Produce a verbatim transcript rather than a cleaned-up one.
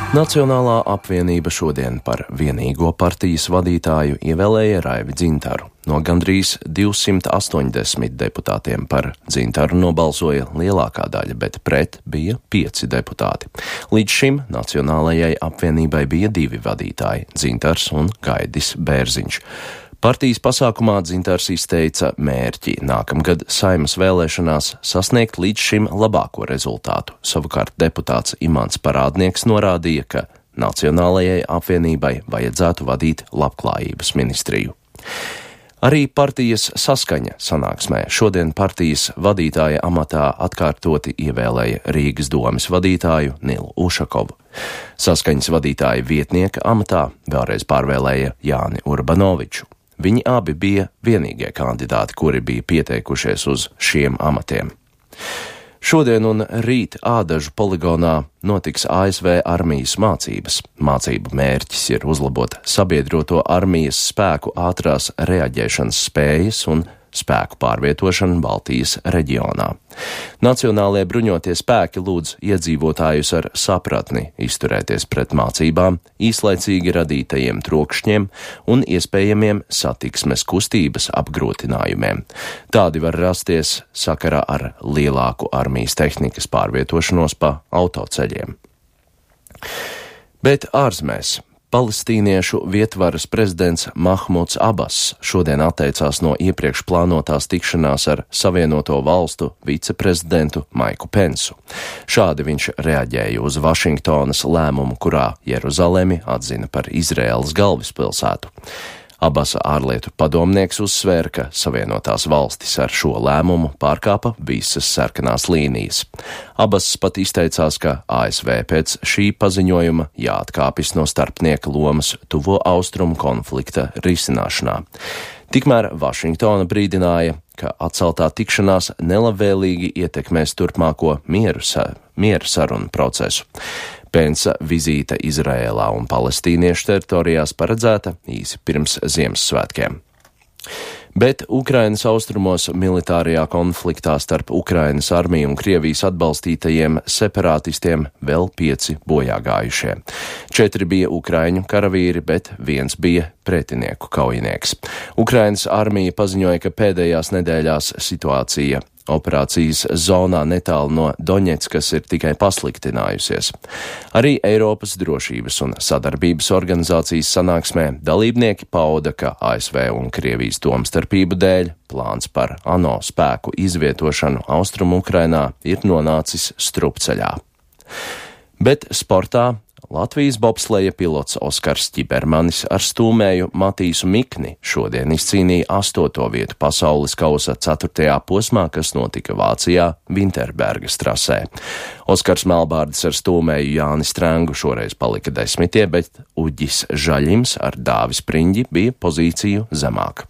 Nacionālā apvienība šodien par vienīgo partijas vadītāju ievēlēja Raivi Dzintaru. No gandrīz divsimt astoņdesmit deputātiem par Dzintaru nobalsoja lielākā daļa, bet pret bija pieci deputāti. Līdz šim Nacionālajai apvienībai bija divi vadītāji – Dzintars un Gaidis Bērziņš. Partijas pasākumā Dzintars izteica mērķi nākamgad Saeimas vēlēšanās sasniegt līdz šim labāko rezultātu. Savukārt deputāts Imants Parādnieks norādīja, ka Nacionālajai apvienībai vajadzētu vadīt labklājības ministriju. Arī partijas Saskaņa sanāksmē šodien partijas vadītāja amatā atkārtoti ievēlēja Rīgas domes vadītāju Nilu Ušakovu. Saskaņas vadītāja vietnieka amatā vēlreiz pārvēlēja Jāni Urbanoviču. Viņi abi bija vienīgie kandidāti, kuri bija pieteikušies uz šiem amatiem. Šodien un rīt Ādažu poligonā notiks A S V armijas mācības. Mācību mērķis ir uzlabot sabiedroto armijas spēku ātrās reaģēšanas spējas un spēku pārvietošanu Baltijas reģionā. Nacionālie bruņotie spēki lūdz iedzīvotājus ar sapratni izturēties pret mācībām, īslaicīgi radītajiem trokšņiem un iespējamiem satiksmes kustības apgrūtinājumiem. Tādi var rasties sakarā ar lielāku armijas tehnikas pārvietošanos pa autoceļiem. Bet ārzemēs. Palestīniešu vietvaras prezidents Mahmuds Abass šodien atteicās no iepriekš plānotās tikšanās ar Savienoto valstu viceprezidentu Maiku Pensu. Šādi viņš reaģēja uz Vašingtonas lēmumu, kurā Jeruzalemi atzina par Izraēlas galvaspilsētu. Abasa ārlietu padomnieks uzsvēra, ka Savienotās valstis ar šo lēmumu pārkāpa visas sarkanās līnijas. Abas pat izteicās, ka A S V pēc šī paziņojuma jāatkāpjas no starpnieka lomas tuvo austrumu konflikta risināšanā. Tikmēr Vašingtona brīdināja, ka atceltā tikšanās nelabvēlīgi ietekmēs turpmāko mieru, sa- mieru sarunu procesu. Pensa vizīte Izraēlā un palestīniešu teritorijās paredzēta īsi pirms Ziemassvētkiem. Bet Ukrainas austrumos militārajā konfliktā starp Ukrainas armiju un Krievijas atbalstītajiem separātistiem vēl pieci bojāgājušie. Četri bija ukraiņu karavīri, bet viens bija pretinieku kaujinieks. Ukrainas armija paziņoja, ka pēdējās nedēļās situācija operācijas zonā netālu no Doņetskas ir tikai pasliktinājusies. Arī Eiropas drošības un sadarbības organizācijas sanāksmē dalībnieki pauda, ka A S V un Krievijas domstarpību dēļ plāns par ANO spēku izvietošanu Austrumu Ukrainā ir nonācis strupceļā. Bet sportā Latvijas bobsleja pilots Oskars Ķibermanis ar stūmēju Matīsu Mikni šodien izcīnīja astoto vietu pasaules kausa ceturtajā posmā, kas notika Vācijā Vinterbergas trasē. Oskars Melbārdis ar stūmēju Jāni Strengu šoreiz palika desmitie, bet Uģis Žaļims ar Dāvi Spriņģi bija pozīciju zemāk.